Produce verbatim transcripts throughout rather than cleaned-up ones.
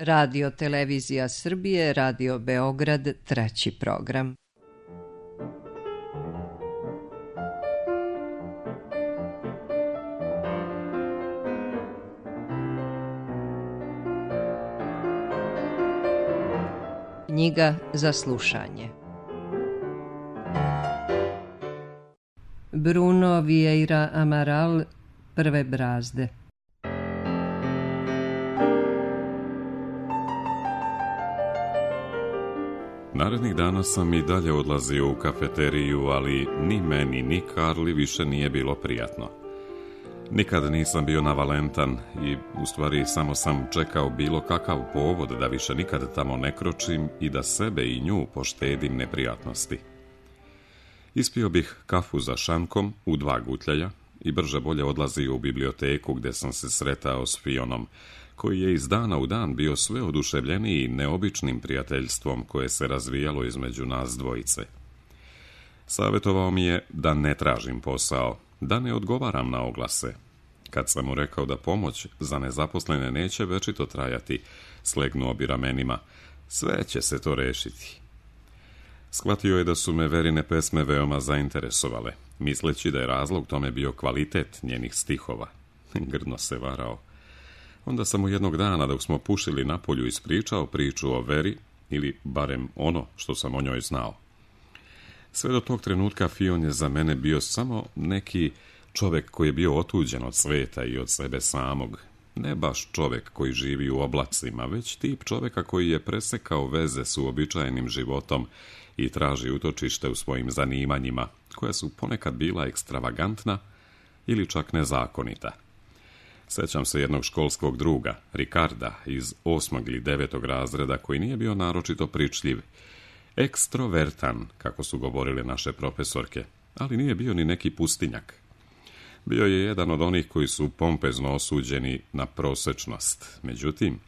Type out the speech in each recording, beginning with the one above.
Radio Televizija Srbije, Radio Beograd, treći program. Knjiga za slušanje. Bruno Vieira Amaral, Prve brazde. Narednih dana sam i dalje odlazio u kafeteriju, ali ni meni, ni Karli više nije bilo prijatno. Nikad nisam bio navalentan i u stvari samo sam čekao bilo kakav povod da više nikad tamo ne kročim i da sebe i nju poštedim neprijatnosti. Ispio bih kafu za šankom u dva gutljaja i brže bolje odlazio u biblioteku gdje sam se sretao s Fionom, koji je iz dana u dan bio sve oduševljeniji neobičnim prijateljstvom koje se razvijalo između nas dvojice. Savjetovao mi je da ne tražim posao, da ne odgovaram na oglase. Kad sam mu rekao da pomoć za nezaposlene neće večito trajati, slegnuo bi ramenima. Sve će se to rešiti. Shvatio je da su me Verine pesme veoma zainteresovale, misleći da je razlog tome bio kvalitet njenih stihova. Grdno se varao. Onda sam mu jednog dana, dok smo pušili napolju, ispričao priču o Veri, ili barem ono što sam o njoj znao. Sve do tog trenutka Fion je za mene bio samo neki čovjek koji je bio otuđen od sveta i od sebe samog. Ne baš čovjek koji živi u oblacima, već tip čovjeka koji je presekao veze s uobičajenim životom i traži utočište u svojim zanimanjima, koja su ponekad bila ekstravagantna ili čak nezakonita. Sjećam se jednog školskog druga, Ricarda, iz osmog ili devetog razreda, koji nije bio naročito pričljiv, ekstrovertan, kako su govorile naše profesorke, ali nije bio ni neki pustinjak. Bio je jedan od onih koji su pompezno osuđeni na prosečnost. Međutim,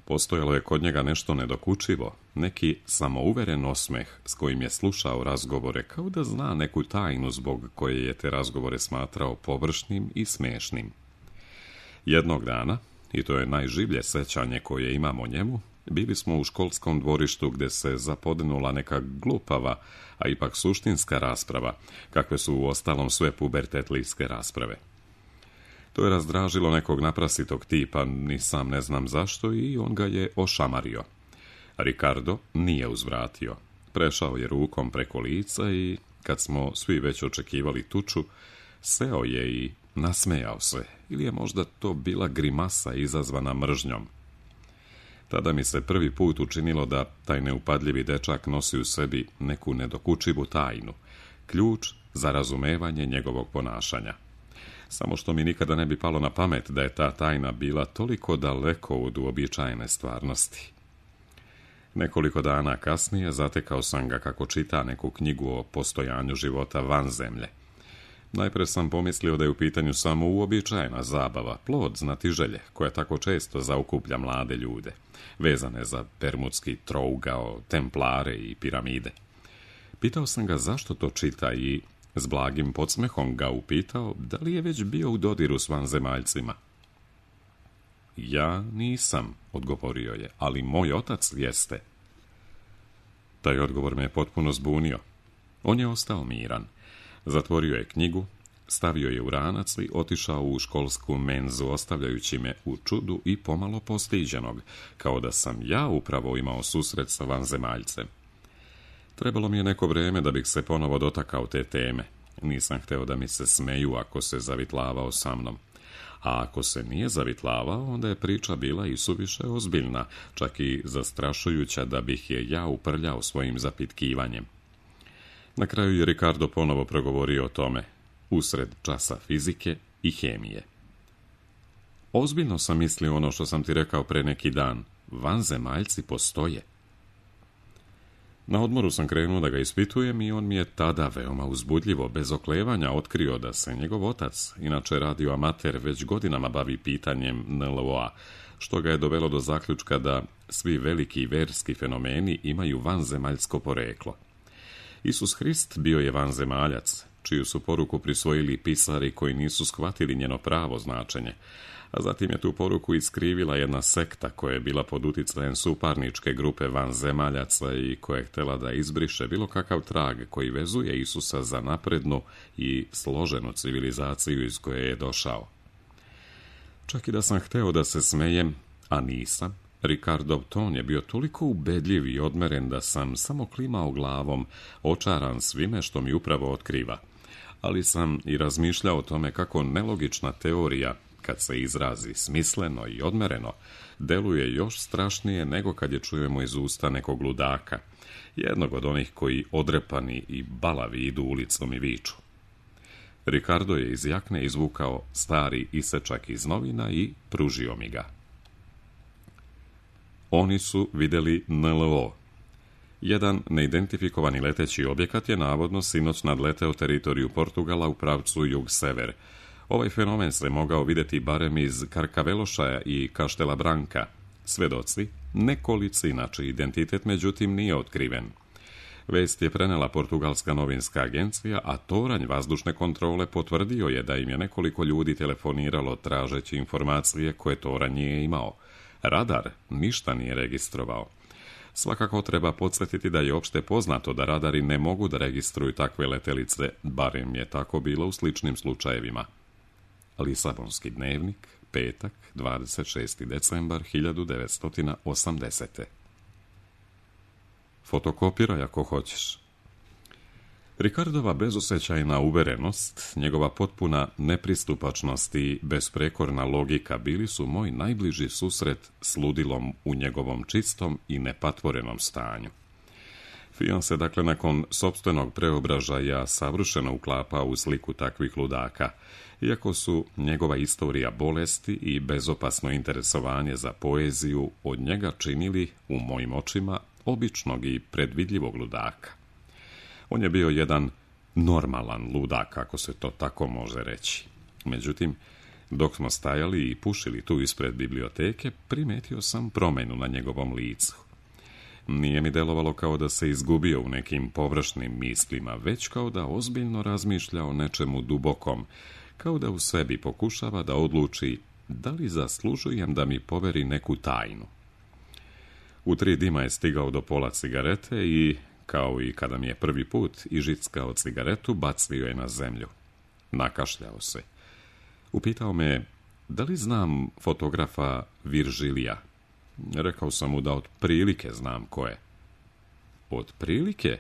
postojalo je kod njega nešto nedokučivo, neki samouveren osmeh s kojim je slušao razgovore, kao da zna neku tajnu zbog koje je te razgovore smatrao površnim i smešnim. Jednog dana, i to je najživlje sećanje koje imamo o njemu, bili smo u školskom dvorištu gdje se zapodnula neka glupava, a ipak suštinska rasprava, kakve su uostalom sve pubertetlijske rasprave. To je razdražilo nekog naprasitog tipa, ni sam ne znam zašto, i on ga je ošamario. Ricardo nije uzvratio. Prešao je rukom preko lica i, kad smo svi već očekivali tuču, seo je i nasmejao se, ili je možda to bila grimasa izazvana mržnjom. Tada mi se prvi put učinilo da taj neupadljivi dečak nosi u sebi neku nedokučivu tajnu, ključ za razumevanje njegovog ponašanja. Samo što mi nikada ne bi palo na pamet da je ta tajna bila toliko daleko od uobičajene stvarnosti. Nekoliko dana kasnije zatekao sam ga kako čita neku knjigu o postojanju života van zemlje. Najpre sam pomislio da je u pitanju samo uobičajena zabava, plod znatiželje, koja tako često zaokuplja mlade ljude, vezane za bermudski trougao, templare i piramide. Pitao sam ga zašto to čita i s blagim podsmehom ga upitao da li je već bio u dodiru s vanzemaljcima. Ja nisam, odgovorio je, ali moj otac jeste. Taj odgovor me je potpuno zbunio. On je ostao miran. Zatvorio je knjigu, stavio je u ranac i otišao u školsku menzu, ostavljajući me u čudu i pomalo postiđenog, kao da sam ja upravo imao susret sa vanzemaljcem. Trebalo mi je neko vrijeme da bih se ponovo dotakao te teme. Nisam hteo da mi se smeju ako se zavitlavao sa mnom. A ako se nije zavitlavao, onda je priča bila i suviše ozbiljna, čak i zastrašujuća da bih je ja uprljao svojim zapitkivanjem. Na kraju je Ricardo ponovo progovorio o tome, usred časa fizike i hemije. Ozbiljno sam mislio ono što sam ti rekao pre neki dan. Vanzemaljci postoje. Na odmoru sam krenuo da ga ispitujem i on mi je tada veoma uzbudljivo, bez oklevanja, otkrio da se njegov otac, inače radio amater, već godinama bavi pitanjem N L O A, što ga je dovelo do zaključka da svi veliki verski fenomeni imaju vanzemaljsko poreklo. Isus Hrist bio je vanzemaljac, čiju su poruku prisvojili pisari koji nisu shvatili njeno pravo značenje, A zatim je tu poruku iskrivila jedna sekta koja je bila pod uticajem suparničke grupe vanzemaljaca i koja je htjela da izbriše bilo kakav trag koji vezuje Isusa za naprednu i složenu civilizaciju iz koje je došao. Čak i da sam hteo da se smejem, a nisam, Ricardov ton je bio toliko ubedljiv i odmeren da sam samo klimao glavom, očaran svime što mi upravo otkriva. Ali sam i razmišljao o tome kako nelogična teorija, kad se izrazi smisleno i odmereno, deluje još strašnije nego kad je čujemo iz usta nekog ludaka, jednog od onih koji odrepani i balavi idu ulicom i viču. Ricardo je iz jakne izvukao stari isečak iz novina i pružio mi ga. Oni su vidjeli N L O. Jedan neidentifikovani leteći objekat je navodno sinoć nadleteo teritoriju Portugala u pravcu jug-sever. Ovaj fenomen se mogao vidjeti barem iz Karkavelošaja i Kaštela Branka. Svedoci, nekolicina čiji identitet međutim nije otkriven. Vest je prenela portugalska novinska agencija, a toranj vazdušne kontrole potvrdio je da im je nekoliko ljudi telefoniralo tražeći informacije koje toranj nije imao. Radar ništa nije registrovao. Svakako treba podsjetiti da je opšte poznato da radari ne mogu da registruju takve letelice, barem je tako bilo u sličnim slučajevima. Lisabonski dnevnik, petak, dvadeset šesti decembar hiljadu devetsto osamdesete. Fotokopiraj ako hoćeš. Ricardova bezosjećajna uverenost, njegova potpuna nepristupačnost i besprekorna logika bili su moj najbliži susret s ludilom u njegovom čistom i nepatvorenom stanju. Fion se dakle nakon sopstvenog preobražaja savršeno uklapa u sliku takvih ludaka, iako su njegova istorija bolesti i bezopasno interesovanje za poeziju od njega činili, u mojim očima, običnog i predvidljivog ludaka. On je bio jedan normalan ludak, ako se to tako može reći. Međutim, dok smo stajali i pušili tu ispred biblioteke, primetio sam promjenu na njegovom licu. Nije mi delovalo kao da se izgubio u nekim površnim mislima, već kao da ozbiljno razmišlja o nečemu dubokom, kao da u sebi pokušava da odluči da li zaslužujem da mi poveri neku tajnu. U tri dima je stigao do pola cigarete i, kao i kada mi je prvi put ižickao cigaretu, bacio je na zemlju. Nakašljao se. Upitao me, da li znam fotografa Virgilija? Rekao sam mu da otprilike znam ko je. Otprilike?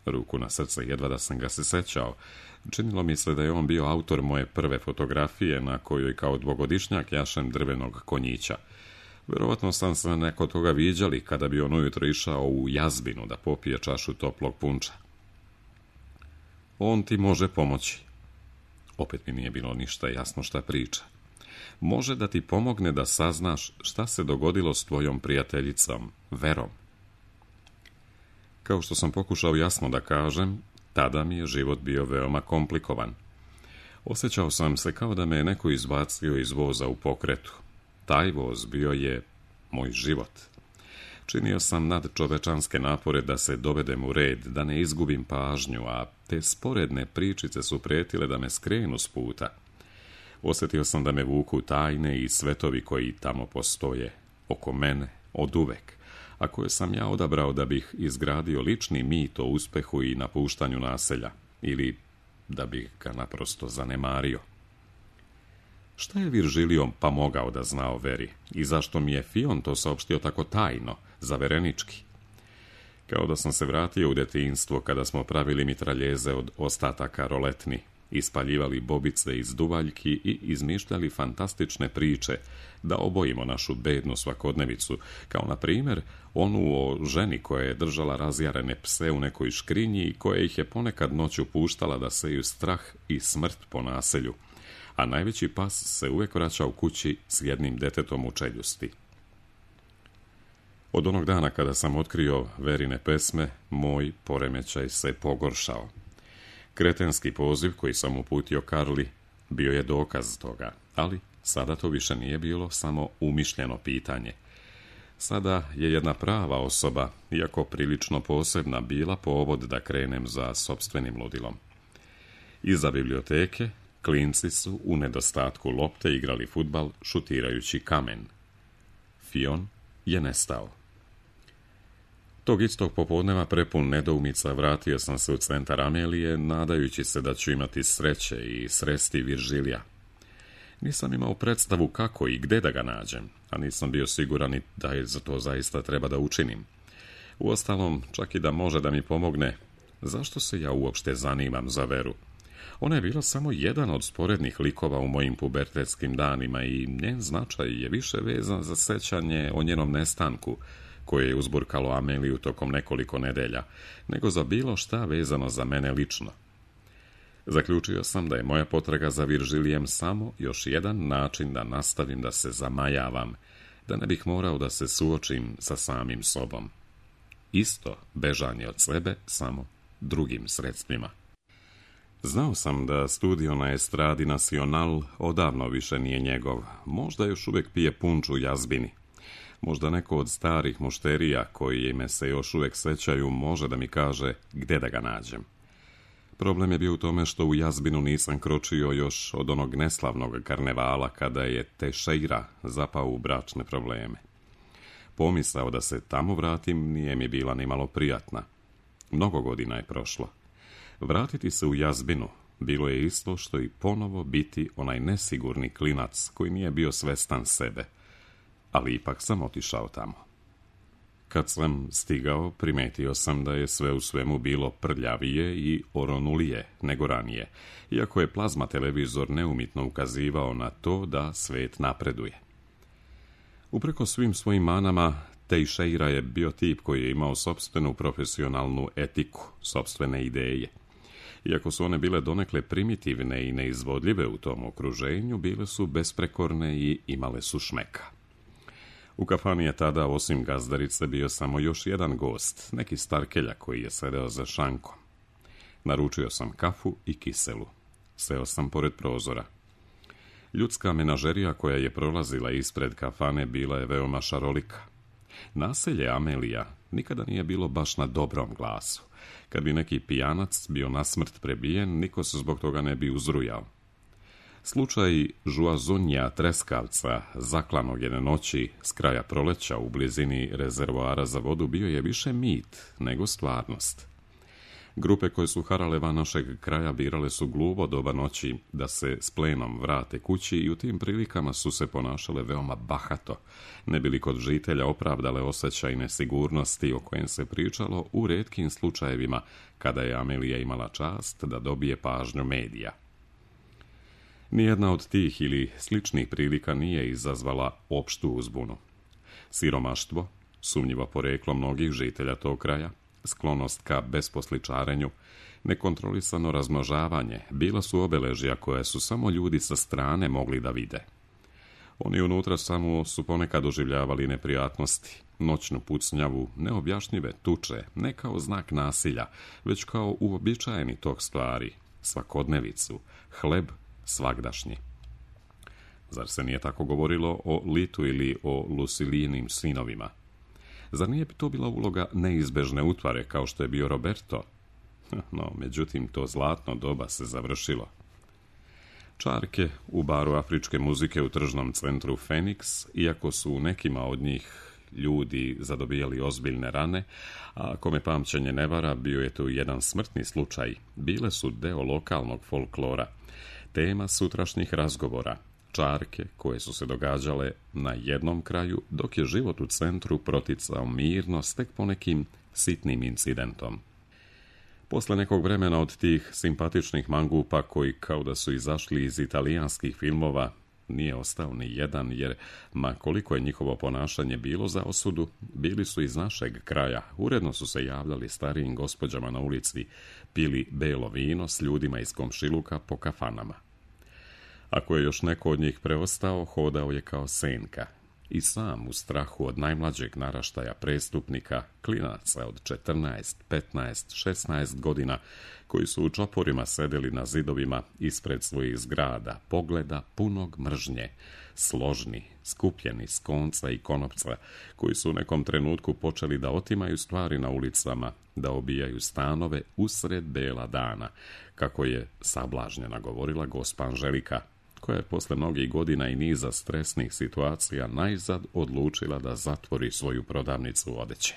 Ruku na srce, jedva da sam ga se sećao. Činilo mi se da je on bio autor moje prve fotografije na kojoj kao dvogodišnjak jašem drvenog konjića. Vjerovatno sam se neko toga viđali kada bi on ujutro išao u jazbinu da popije čašu toplog punča. On ti može pomoći. Opet mi nije bilo ništa jasno šta priča. Može da ti pomogne da saznaš šta se dogodilo s tvojom prijateljicom, Verom. Kao što sam pokušao jasno da kažem, tada mi je život bio veoma komplikovan. Osjećao sam se kao da me je neko izbacio iz voza u pokretu. Taj voz bio je moj život. Činio sam nadčovečanske napore da se dovedem u red, da ne izgubim pažnju, a te sporedne pričice su pretile da me skrenu s puta. Osjetio sam da me vuku tajne i svetovi koji tamo postoje, oko mene, od uvek, a koje sam ja odabrao da bih izgradio lični mit o uspehu i napuštanju naselja, ili da bih ga naprosto zanemario. Šta je Virgilio pa mogao da zna o Veri i zašto mi je Fion to saopštio tako tajno, zaverenički? Kao da sam se vratio u detinjstvo kada smo pravili mitraljeze od ostataka roletni, ispaljivali bobice iz duvaljki i izmišljali fantastične priče da obojimo našu bednu svakodnevicu, kao na primjer onu o ženi koja je držala razjarene pse u nekoj škrinji i koja ih je ponekad noću puštala da seju strah i smrt po naselju, a najveći pas se uvijek vraća u kući s jednim detetom u čeljusti. Od onog dana kada sam otkrio Verine pesme, moj poremećaj se pogoršao. Kretenski poziv koji sam uputio Karli bio je dokaz toga, ali sada to više nije bilo samo umišljeno pitanje. Sada je jedna prava osoba, iako prilično posebna, bila povod da krenem za sopstvenim ludilom. Iza biblioteke, Klinci su u nedostatku lopte igrali fudbal šutirajući kamen. Fion je nestao. Tog istog popodneva prepun nedoumica vratio sam se u centar Amelije, nadajući se da ću imati sreće i sresti Viržilija. Nisam imao predstavu kako i gde da ga nađem, a nisam bio siguran i da je za to zaista treba da učinim. Uostalom, čak i da može da mi pomogne, zašto se ja uopšte zanimam za Veru? Ona je bila samo jedan od sporednih likova u mojim pubertetskim danima i njen značaj je više vezan za sećanje o njenom nestanku, koje je uzburkalo Ameliju tokom nekoliko nedelja, nego za bilo šta vezano za mene lično. Zaključio sam da je moja potraga za Viržilijem samo još jedan način da nastavim da se zamajavam, da ne bih morao da se suočim sa samim sobom. Isto bežanje od sebe, samo drugim sredstvima. Znao sam da studio na Estradi Nacional odavno više nije njegov, možda još uvijek pije punču u jazbini. Možda neko od starih mušterija koji me se još uvijek sećaju može da mi kaže gde da ga nađem. Problem je bio u tome što u jazbinu nisam kročio još od onog neslavnog karnevala kada je Teixeira zapao u bračne probleme. Pomisao da se tamo vratim nije mi bila ni malo prijatna. Mnogo godina je prošlo. Vratiti se u jazbinu bilo je isto što i ponovo biti onaj nesigurni klinac koji nije bio svestan sebe. Ali ipak sam otišao tamo. Kad sam stigao, primetio sam da je sve u svemu bilo prljavije i oronulije nego ranije, iako je plazma televizor neumitno ukazivao na to da svet napreduje. Upreko svim svojim manama, Teixeira je bio tip koji je imao sopstvenu profesionalnu etiku, sopstvene ideje. Iako su one bile donekle primitivne i neizvodljive u tom okruženju, bile su besprekorne i imale su šmeka. U kafani je tada, osim gazdarice, bio samo još jedan gost, neki starkelja koji je sedeo za šankom. Naručio sam kafu i kiselu. Seo sam pored prozora. Ljudska menažerija koja je prolazila ispred kafane bila je veoma šarolika. Naselje Amelija nikada nije bilo baš na dobrom glasu. Kad bi neki pijanac bio na smrt prebijen, niko se zbog toga ne bi uzrujao. Slučaj Žuazunja Treskavca, zaklanog jedne noći s kraja proleća u blizini rezervoara za vodu, bio je više mit nego stvarnost. Grupe koje su harale van našeg kraja birale su gluvo doba noći da se s plenom vrate kući i u tim prilikama su se ponašale veoma bahato, ne bili kod žitelja opravdale osjećaj nesigurnosti o kojem se pričalo u retkim slučajevima kada je Amelija imala čast da dobije pažnju medija. Nijedna od tih ili sličnih prilika nije izazvala opštu uzbunu. Siromaštvo, sumnjivo poreklo mnogih žitelja tog kraja, sklonost ka besposličarenju, nekontrolisano razmnožavanje bila su obeležja koje su samo ljudi sa strane mogli da vide. Oni unutra samo su ponekad doživljavali neprijatnosti, noćnu pucnjavu, neobjašnjive tuče, ne kao znak nasilja, već kao uobičajeni tok stvari, svakodnevicu, hleb svagdašnji. Zar se nije tako govorilo o Litu ili o Lucilijinim sinovima? Zar nije to bila uloga neizbežne utvare kao što je bio Roberto? No, međutim, to zlatno doba se završilo. Čarke u baru afričke muzike u tržnom centru Phoenix, iako su nekima od njih ljudi zadobijali ozbiljne rane, a ako me pamćenje ne vara, bio je tu jedan smrtni slučaj, bile su deo lokalnog folklora, tema sutrašnjih razgovora, čarke koje su se događale na jednom kraju, dok je život u centru proticao mirno s tek ponekim sitnim incidentom. Posle nekog vremena od tih simpatičnih mangupa koji kao da su izašli iz italijanskih filmova, nije ostao ni jedan, jer ma koliko je njihovo ponašanje bilo za osudu, bili su iz našeg kraja, uredno su se javljali starijim gospođama na ulici, pili belo vino s ljudima iz komšiluka po kafanama. Ako je još neko od njih preostao, hodao je kao senka. i sam u strahu od najmlađeg naraštaja prestupnika, klinaca od četrnaest, petnaest, šesnaest godina, koji su u čoporima sedeli na zidovima ispred svojih zgrada, pogleda punog mržnje, složni, skupljeni s konca i konopca, koji su u nekom trenutku počeli da otimaju stvari na ulicama, da obijaju stanove usred bela dana, kako je sablažnjena govorila gospa Anželika, koja je posle mnogih godina i niza stresnih situacija najzad odlučila da zatvori svoju prodavnicu odeće.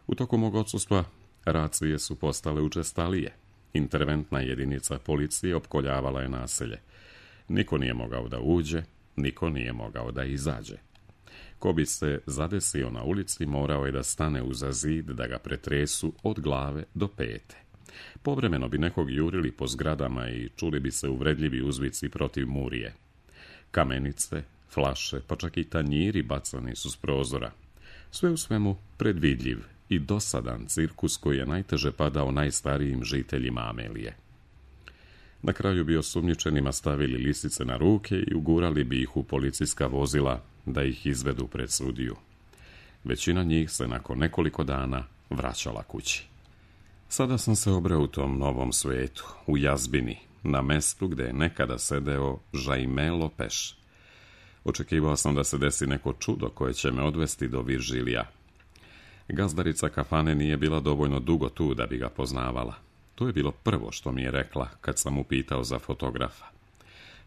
U toku mog odsustva racije su postale učestalije. Interventna jedinica policije opkoljavala je naselje. Niko nije mogao da uđe, niko nije mogao da izađe. Ko bi se zadesio na ulici, morao je da stane uza zid da ga pretresu od glave do pete. Povremeno bi nekog jurili po zgradama i čuli bi se uvredljivi uzvici protiv Murije. Kamenice, flaše, pa čak i tanjiri bacani su s prozora. Sve u svemu predvidljiv i dosadan cirkus koji je najteže padao najstarijim žiteljima Amelije. Na kraju bi osumnjičenima stavili lisice na ruke i ugurali bi ih u policijska vozila da ih izvedu pred sudiju. Većina njih se nakon nekoliko dana vraćala kući. Sada sam se obreo u tom novom svetu, u jazbini, na mestu gde je nekada sedeo Jaime Lopeš. Očekivao sam da se desi neko čudo koje će me odvesti do Viržilija. Gazdarica kafane nije bila dovoljno dugo tu da bi ga poznavala. To je bilo prvo što mi je rekla kad sam upitao za fotografa.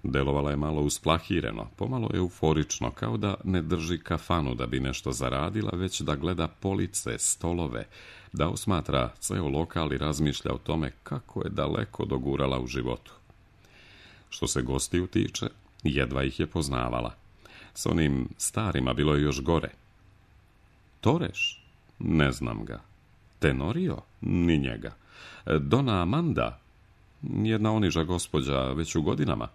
Delovala je malo usplahireno, pomalo euforično, kao da ne drži kafanu da bi nešto zaradila, već da gleda police, stolove, da osmatra ceo lokal i razmišlja o tome kako je daleko dogurala u životu. Što se gostiju tiče, jedva ih je poznavala. S onim starima bilo je još gore. Toreš? Ne znam ga. Tenorio? Ni njega. Dona Amanda? Jedna oniža gospođa već u godinama.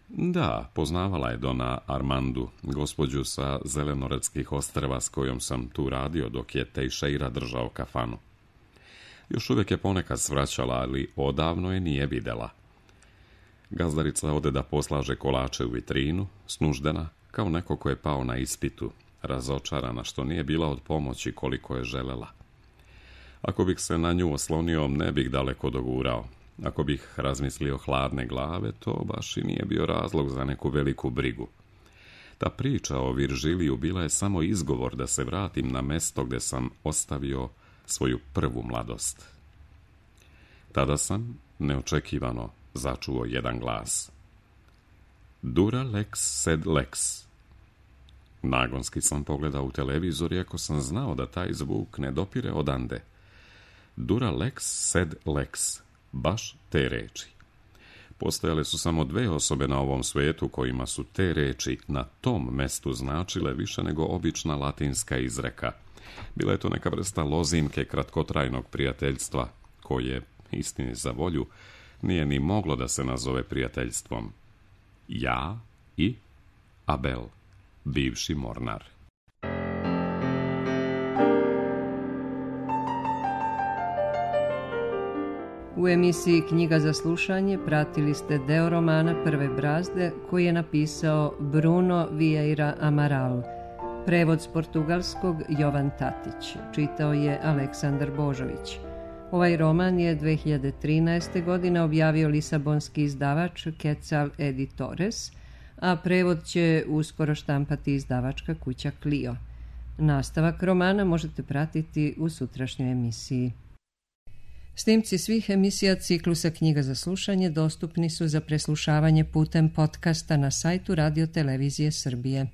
Da, poznavala je Dona Armandu, gospođu sa Zelenoradskih ostrva s kojom sam tu radio dok je Teixeira držao kafanu. Još uvijek je ponekad svraćala, ali odavno je nije videla. Gazdarica ode da poslaže kolače u vitrinu, snuždena, kao neko ko je pao na ispitu, razočarana što nije bila od pomoći koliko je želela. Ako bih se na nju oslonio, ne bih daleko dogurao. Ako bih razmislio hladne glave, to baš i nije bio razlog za neku veliku brigu. Ta priča o Viržiliju bila je samo izgovor da se vratim na mesto gde sam ostavio svoju prvu mladost. Tada sam, neočekivano, začuo jedan glas. Dura lex sed lex. Nagonski sam pogledao u televizor, iako sam znao da taj zvuk ne dopire odande. Dura lex sed lex. Baš te reči. Postojale su samo dve osobe na ovom svijetu kojima su te reči na tom mestu značile više nego obična latinska izreka. Bila je to neka vrsta lozinke kratkotrajnog prijateljstva, koje, istini za volju, nije ni moglo da se nazove prijateljstvom. Ja i Abel, bivši mornar. U emisiji Knjiga za slušanje pratili ste deo romana Prve brazde koji je napisao Bruno Vieira Amaral. Prevod s portugalskog Jovan Tatić. Čitao je Aleksandar Božović. Ovaj roman je dve hiljade trinaeste. godine objavio lisabonski izdavač Quetzal Editores, a prevod će uskoro štampati izdavačka kuća Clio. Nastavak romana možete pratiti u sutrašnjoj emisiji. Snimci svih emisija ciklusa Knjiga za slušanje dostupni su za preslušavanje putem podcasta na sajtu Radio Televizije Srbije.